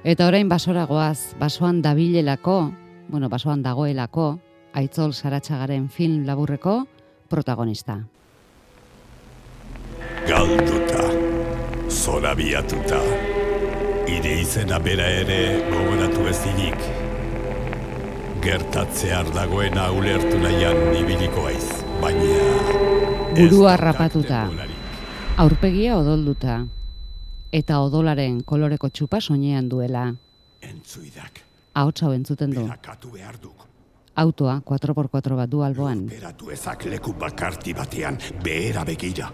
Eta orain basora goaz, basoan dabilelako, basoan dagoelako, Aitzol Saratxagaren film laburreko protagonista. Galduta, zorabiatuta, hire izena bera ere gogoratu ezinik. Gertatzear dagoena ulertu nahian ibiliko aiz, baina... Burua rapatuta, aurpegia odolduta, eta odolaren koloreko txupa soinean duela. Entzuidak. Ahotsa hau entzuten du. Berakatu behar duk. Autoa 4x4 bat du alboan. Beratu ezak leku bakarti batean behera begira.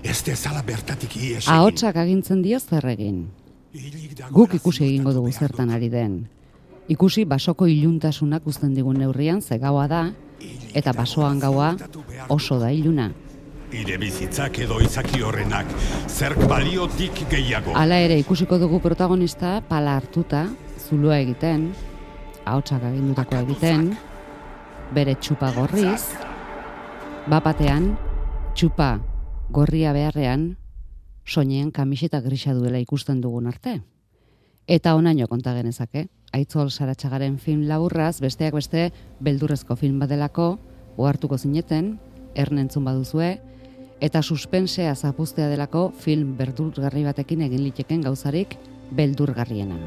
Ez dezala bertatik ies egin. Ahotsak agintzen dio zer egin. Guk ikusi egingo dugu zertan ari den. Ikusi basoko iluntasunak uzten digun neurrian ze gaua da, eta basoan gaua oso da iluna. Ire bizitzak edo izaki horrenak, zerk baliotik gehiago. Hala ere ikusiko dugu protagonista pala hartuta, zulua egiten, ahotsak agindutakoa egiten, bere txupa gorriz, bapatean, txupa gorria beharrean, soinean kamiseta grisa duela ikusten dugun arte. Eta onaino konta genezake, Aitzol Saratxagaren film laburraz, besteak beste, beldurrezko film badelako, ohartuko zineten, ernentzun baduzue, eta suspensea zapuztea delako film beldurgarri batekin egin liteken gauzarik beldurgarriena.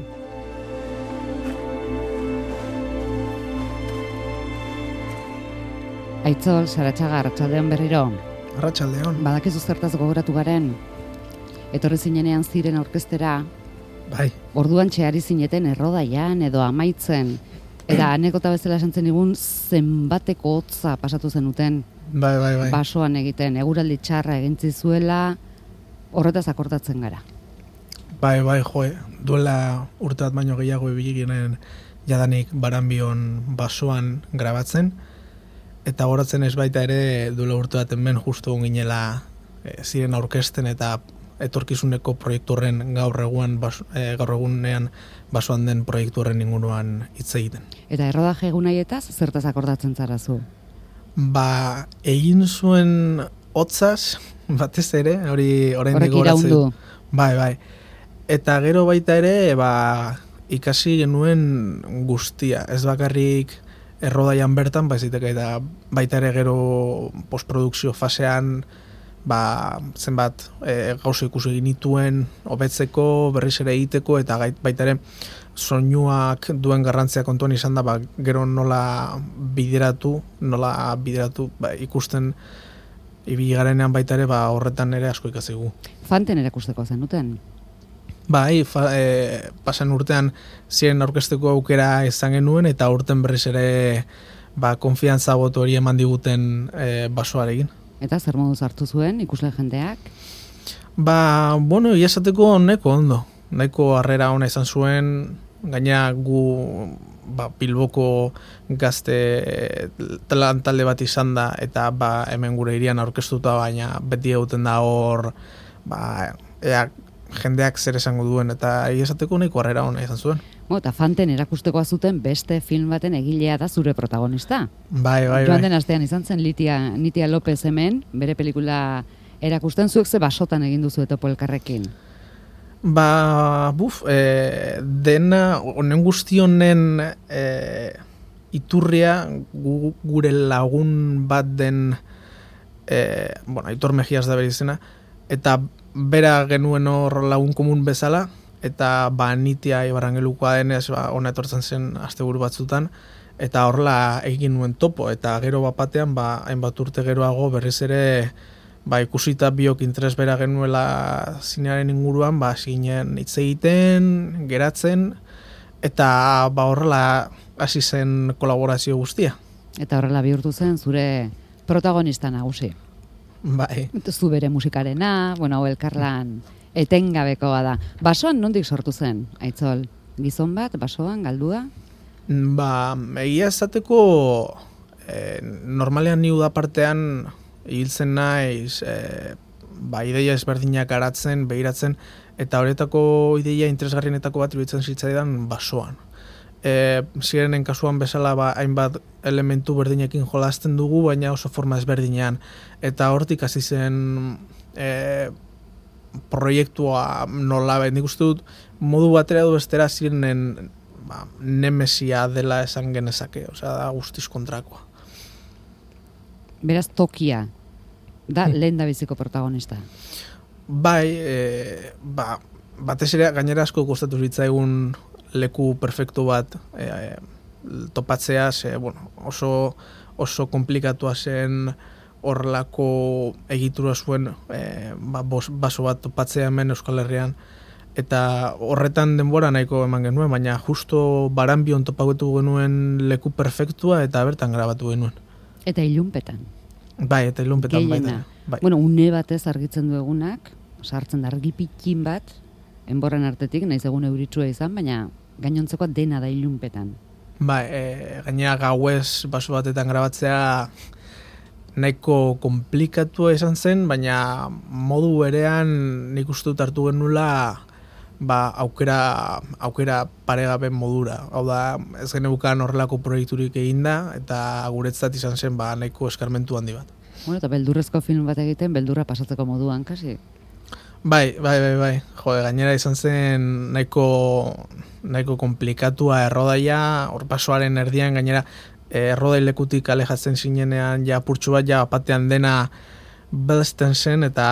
Aitzol Saratxaga, arratsaldeon berriro. Arratsaldeon. Badakizu zertaz gogoratu garen, etorri zinenean ziren aurkeztera, Bai. Orduan txeari zineten errodaian edo amaitzen, eta anekota bezala esantzen digun zenbateko hotza pasatu zenuten. Bai. Basoan egiten, eguraldi txarra egintzi zuela, horretaz akordatzen gara. Bai, duela urte bat baino gehiago ibiliginen jadanik Baranbion basoan grabatzen, eta horatzen ez baita ere duela urte bat hemen justu ginela ziren aurkezten eta etorkizuneko proiektu horren gaur egunean basoan den proiektu horren inguruan hitz egiten. Eta errodaje egunaietaz zertaz akordatzen zara zu? Egin zuen hotzaz, batez ere, horrek iraundu. Bai. Eta gero baita ere, ikasi genuen guztia. Ez bakarrik errodaian bertan, eta baita ere gero postprodukzio fasean, zenbat gauza ikusi genituen hobetzeko, berriz ere egiteko, eta baita ere soinuak duen garrantzia kontuan izan da, gero nola bideratu, ikusten ibili garenean baita ere, horretan ere asko ikasigu. Fanten erakusteko zenuten? Bai, pasan urtean ziren aurkezteko aukera izan genuen, eta urten berriz ere konfiantza boto hori eman diguten basoarekin. Eta zer moduz hartu zuen ikusle jendeak? Iazateko neko ondo. Nahiko harrera ona izan zuen, gaina gu Bilboko gazte talde bat izan da, eta hemen gure hirian aurkeztuta, baina beti egiten da hor, jendeak zer esango duen, eta iazateko nahiko harrera ona izan zuen. Eta Fanten erakustekoa zuten beste film baten egilea da zure protagonista. Bai. Joan den astean izan zen Nitia López hemen, bere pelikula erakusten, zuek ze basotan egin duzu Topo elkarrekin? Dena, honen guzti honen iturria gure lagun bat den, Aitor Mejias da bere izena, eta bera genuen hor lagun komun bezala, eta Nitia Ibarrangelukoa denez ona etortzen zen asteburu batzutan, eta horrela egin nuen topo, eta gero batean hainbat urte geroago berriz ere ikusita biok interes bera genuela zinearen inguruan, zinen hitz egiten, geratzen, eta horrela hasi zen kolaborazio guztia. Eta horrela bihurtu zen zure protagonista nagusi. Bai. Zu bere musikarena, hau elkarlan etengabekoa da. Basoan nondik sortu zen, Aitzol? Gizon bat, basoan, galdua? Egia esateko, normalean ni udapartean hiltzen naiz, ideia ezberdinak garatzen, behiratzen, eta horietako ideia interesgarrienetako bat iruditzen zitzaidan basoan. Zirenen kasuan bezala hainbat elementu berdinekin jolasten dugu, baina oso forma ezberdinean. Eta hortik hasi zen proiektua nola nik uste dut modu batera du bestera zirenen nemesia dela esan genezake, osea, da guztiz kontrakoa. Beraz, Tokia da lehen da biziko protagonista. Bai, batez ere gainera asko kostatu zitzaigun leku perfektu bat topatzea, oso komplikatua zen horrelako egitura zuen baso bat topatzea hemen Euskal Herrian, eta horretan denbora nahiko eman genuen, baina justo Baranbion topatu genuen leku perfektua eta bertan grabatu genuen. Eta ilunpetan. Bai, eta ilunpetan baita. Bai. Bueno, une batez argitzen du egunak, sartzen da argi pikin bat, enborran artetik, naiz egun euritsua izan, baina gainontzekoa dena da ilunpetan. Bai, gainera gauez baso batetan grabatzea nahiko komplikatua izan zen, baina modu berean nik uste dut hartu genula aukera paregabe modura. Hau da, ez geneukan horrelako proiekturik eginda, eta guretzat izan zen nahiko eskarmentu handi bat. Bueno, eta beldurrezko film bat egiten, beldurra pasatzeko moduan, kasi? Bai. Jode, gainera izan zen nahiko komplikatua errodaia, hor basoaren erdian gainera errodai lekutik alejatzen zinenean ja purtsu bat ja batean dena belzten zen, eta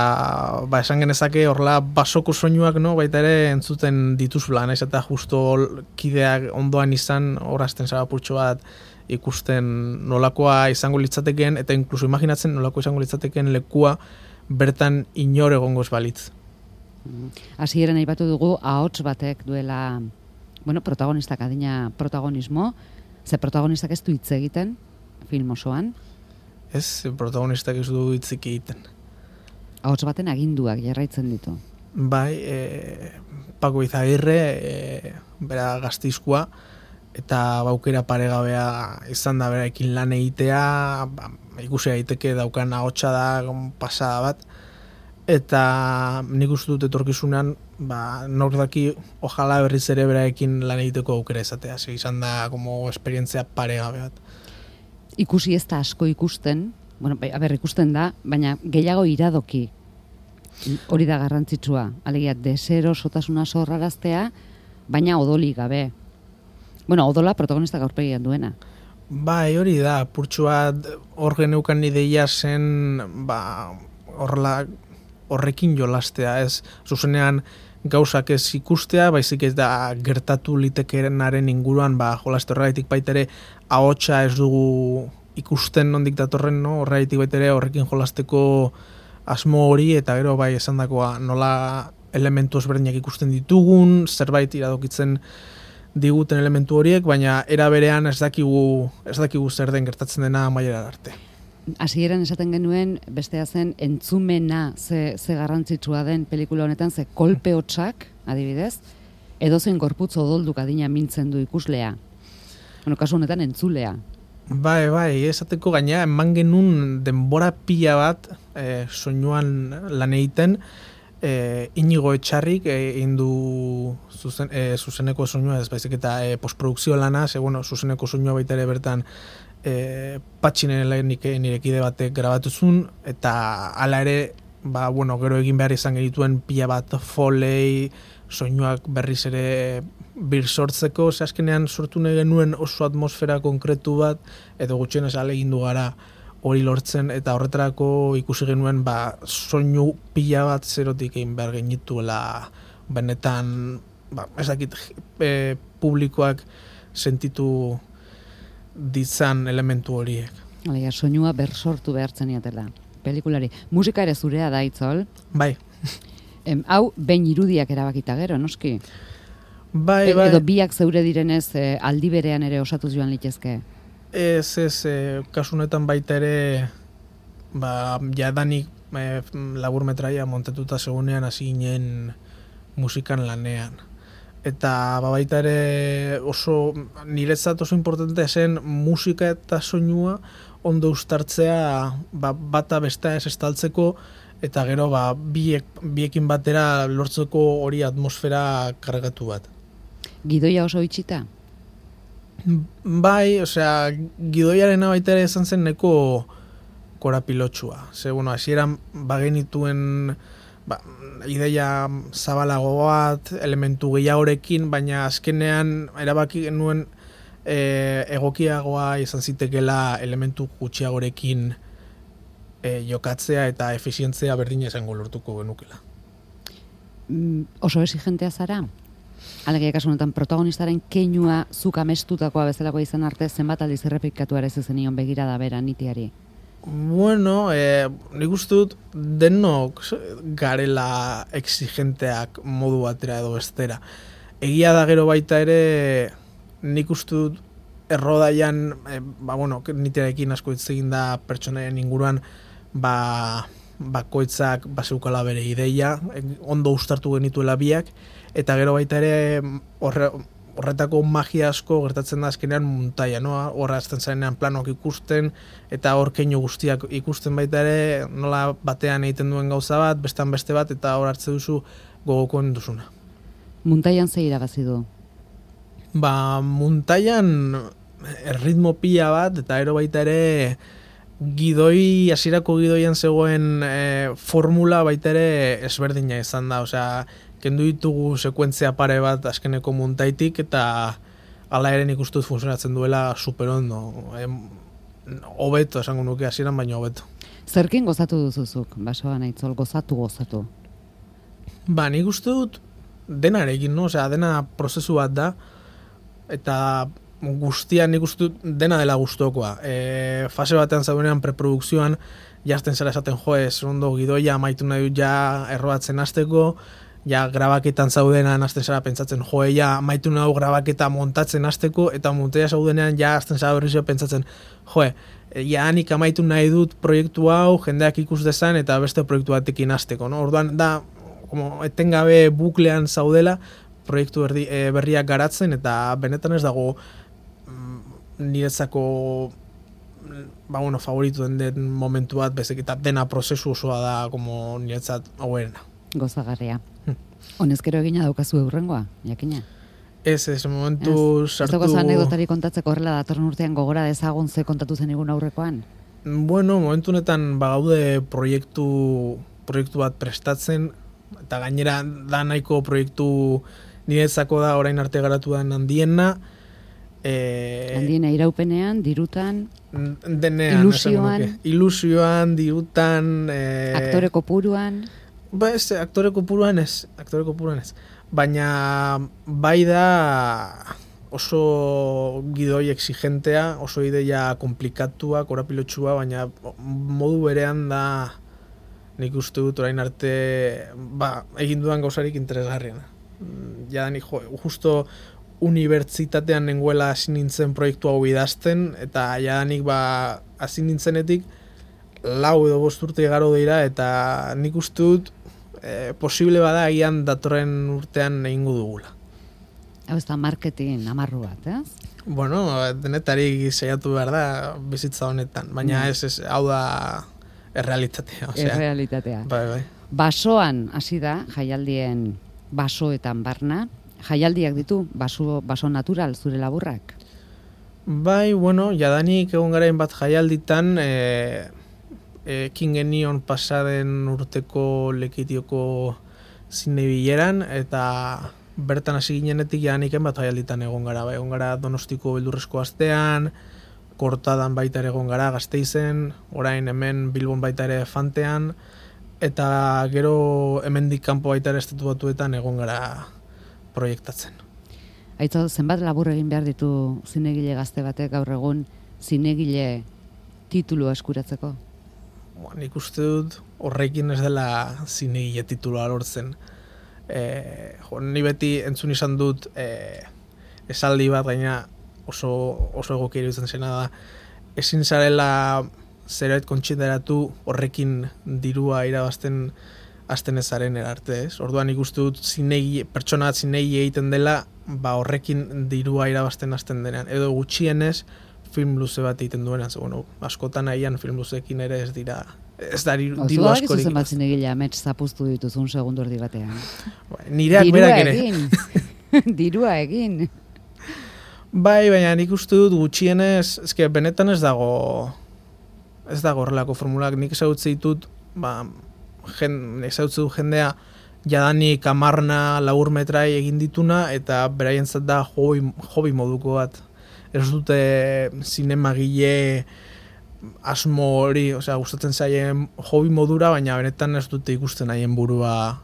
esan genezake horrela basoko soinuak baita ere entzuten dituzula, naiz eta justo kideak ondoan izan horazten zara purtsu bat ikusten nolakoa izango litzatekeen, eta inkluso imaginatzen nolakoa izango litzatekeen lekua bertan inor egongo ez balitz. Hasieran aipatu dugu ahots batek duela, protagonistak adina protagonismo, ze protagonistak ez du hitz egiten film osoan? Ez, protagonistak ez du hitzik egiten. Ahots baten aginduak jarraitzen ditu. Bai, Paco Izagirre, bera Gasteizkoa, eta baukera paregabea izan da beraekin lan egitea, ikusi daiteke daukan ahotsa da pasada bat, eta nik uste dut etorkizunean, nor daki ojala berriz ere beraekin lan egiteko aukera izatea, izan da como esperientzia paregabe bat. Ikusi ez da asko ikusten, ikusten da, baina gehiago iradoki, hori da garrantzitsua, alegia deserosotasuna sorraraztea, baina odolik gabe. Odola protagonista gaurpegian duena. Bai, hori da, purtsu bat hor geneukan ideia zen, horrekin jolastea, ez zuzenean gauzak ez ikustea, baizik ez da gertatu litekerenaren inguruan, jolaste horregatik baitere ahotsa ez dugu ikusten nondik datorren, horregatik baitere horrekin jolasteko asmo hori, eta gero esan dakoa nola elementu ezberdinak ikusten ditugun, zerbait iradokitzen diguten elementu horiek, baina era berean ez dakigu zer den gertatzen dena amaierara arte. Hasieran esaten genuen, bestea zen, entzumena ze garrantzitsua den pelikula honetan, ze kolpe hotsak, adibidez, edozein gorputz odolduk adina mintzen du ikuslea. Kasu honetan entzulea. Bai, esateko gaina, eman genuen denbora pila bat soinuan lan egiten, Inigo Etxarrik egin du zuzeneko soinua, ez baizik eta postprodukzio lana, zuzeneko soinua baita ere bertan Patxinen nirekide batek grabatuzun, eta hala ere, gero egin behar izan genituen pila bat foley, soinuak berriz ere bir sortzeko, azkenean sortu nahi genuen oso atmosfera konkretu bat, edo gutxienez ahalegindu gara hori lortzen, eta horretarako ikusi genuen soinu pila bat zerotik egin behar genituela benetan, ez dakit publikoak sentitu ditzan elementu horiek. Soinua bersortu behartzen iatela, pelikulari. Musika ere zurea da, Itzol? Bai. Hau, behin irudiak erabakita gero, noski? Bai. Edo biak zeure direnez aldi berean ere osatuz joan litezke? Ez, kasunetan baita ere, jadanik laburmetraia montatuta segunean hasi ginen musikan lanean. Eta baita ere niretzat oso importantea zen musika eta soinua ondo uztartzea bata bestea ez estaltzeko, eta gero biekin batera lortzeko hori atmosfera kargatu bat. Gidoia oso itxita? Bai, gidoiaren baita ere izan zen neko korapilotsua. Hasieran bagenituen ideia zabalago bat, elementu gehiagorekin, baina azkenean erabaki genuen egokiagoa izan zitekela elementu gutxiagorekin jokatzea eta efizientzia berdina izango lortuko genukela. Oso exigentea zara? Alegia kasu honetan protagonistaren keinua zuk amestutakoa bezalakoa izan arte zenbat aldiz errepikatu ere zenion begirada bera nitiari? Bueno, nik uste dut denok garela exigenteak modu batera edo bestera. Egia da gero baita ere nik uste dut errodaian, nitiarekin asko hitz egin da pertsonaien inguruan, bakoitzak bazeukala bere ideia, ondo uztartu genituela biak, eta gero baita ere horretako magia asko gertatzen da azkenean muntaia, no? Horra azten zarenean planok ikusten, eta hor keinu guztiak ikusten baita ere, nola batean egiten duen gauza bat, bestan beste bat, eta hor hartze duzu gogokoen duzuna. Muntaian ze irabazi du? Muntaian erritmo pila bat, eta ero baita ere hasierako gidoian zegoen formula baita ere ezberdina izan da, osea, kendu ditugu sekuentzia pare bat azkeneko muntaitik, eta hala ere nik uste dut funtzionatzen duela superondo. Hobeto esango nuke hasieran, baina hobeto. Zerkin gozatu duzuzuk, basoan aitzol, gozatu? Nik uste dut denarekin, no? Osea, dena prozesu bat da, eta guztian nik uste dut dena dela gustokoa. Fase batean zaudenean preprodukzioan, jazten zara esaten ondo gidoia amaitu nahi dut ja erroatzen hasteko, ja grabaketan zaudenean hasten zara pentsatzen ja amaitu nahi grabaketa montatzen hasteko, eta montaia zaudenean ja hasten zara berrizio pentsatzen ja nik amaitu nahi dut proiektu hau, jendeak ikus dezan eta beste proiektu batekin hasteko, no? Orduan da etengabe buklean zaudela proiektu berriak garatzen, eta benetan ez dago niretzako favoritu den momentu bat, bezik eta dena prozesu osoa da niretzat hauerena. Gozagarria. Honezkero egina daukazu eurrengoa, jakina? Ez, momentu sartu... Ez dago anekdotari kontatzeko horrela datorren urtean gogora dezagun ze kontatu zen egun aurrekoan? Bueno, momentu honetan bagaude proiektu bat prestatzen, eta gainera da nahiko proiektu niretzako da orain arte garatu den handiena. Handiena iraupenean, dirutan, denean, ilusioan, dirutan... aktore kopuruan... aktore kopuruan ez. Baina bai da oso gidoi exigentea, oso ideia komplikatua, korapilotxua, baina modu berean da nik uste dut orain arte egin dudan gauzarik interesgarriena. Ja nik justo unibertsitatean nengoela hasi nintzen proiektu hau idazten, eta ja nik hasi nintzenetik 4 edo 5 urte igaro dira, eta nik uste dut posible bada agian datorren urtean egingo dugula. Hau ez da marketing amarru bat, ez? Bueno, denetari saiatu behar da bizitza honetan, baina ez hau da errealitatea. Errealitatea. Bai. Basoan hasi da, jaialdien basoetan barna, jaialdiak ditu, baso natural zure laburrak? Bai, jadanik egon garain bat jaialditan, ekin genion pasaden urteko Lekitioko zinebileran, eta bertan hasi ginenetik jadaniken bat jaialditan egon gara Donostiko beldurrezko astean, Kortadan baita ere egon gara Gasteizen, orain hemen Bilbon baita ere Fantean, eta gero hemendik kanpo baita ere Estatu Batuetan egon gara proiektatzen. Aitzo, zenbat labur egin behar ditu zinegile gazte batek gaur egun zinegile titulua eskuratzeko? Nik uste dut horrekin ez dela zinegile titulua lortzen. Ni beti entzun izan dut esaldi bat, gaina oso egokia iruditzen zena da, ezin zarela zerbait kontsideratu horrekin dirua irabazten hasten ezaren erarte, ez? Orduan nik uste dut pertsona bat zinegi egiten dela, horrekin dirua irabazten hasten denean. Edo gutxienez film luze bat egiten duenean, askotan agian film luzeekin ere ez da diru askorik. Oso da gizuzen bat zinegilea amets zapuztu dituzun segundu erdi batean. Nireak berak ere. Dirua egin. Bai, baina nik uste dut gutxienez, benetan ez dago horrelako formulak. Nik ezagutze ditut, ezautzu jendea jadanik 10 laur metrai egin dituna, eta beraientzat da hobi moduko bat. Ez dute zinemagile asmo hori, gustatzen zaien hobi modura, baina benetan ez dute ikusten haien burua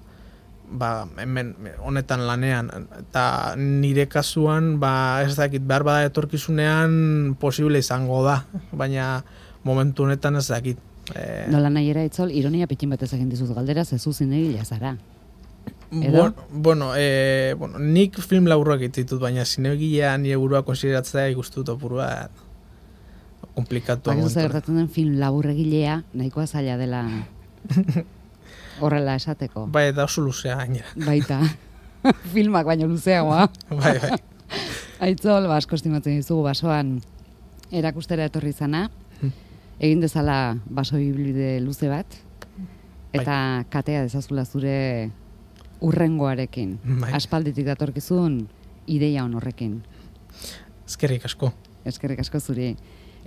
hemen honetan lanean. Eta nire kasuan, ez dakit, behar bada etorkizunean posible izango da, baina momentu honetan ez dakit. Nola nahi era Itzol, ironia pitin batez egin dizut galdera, zezu zinegila zara. Bueno, nik film laburrak ditut, baina zinegilea nire burua konsideratzea ikustut opurua komplikatu. Bakizu gertatzen den film laburregilea nahikoa zaila dela horrela esateko. Bai, eta oso luzea gainera. Baita, filmak baino luzeagoa. Bai. Aitzol, asko estimatzen dizugu basoan erakustera etorri zana, egin dezala baso ibilbide luze bat, eta katea dezazula zure urrengoarekin. Aspalditik datorkizun ideia horrekin. Eskerrik asko. Eskerrik asko zuri.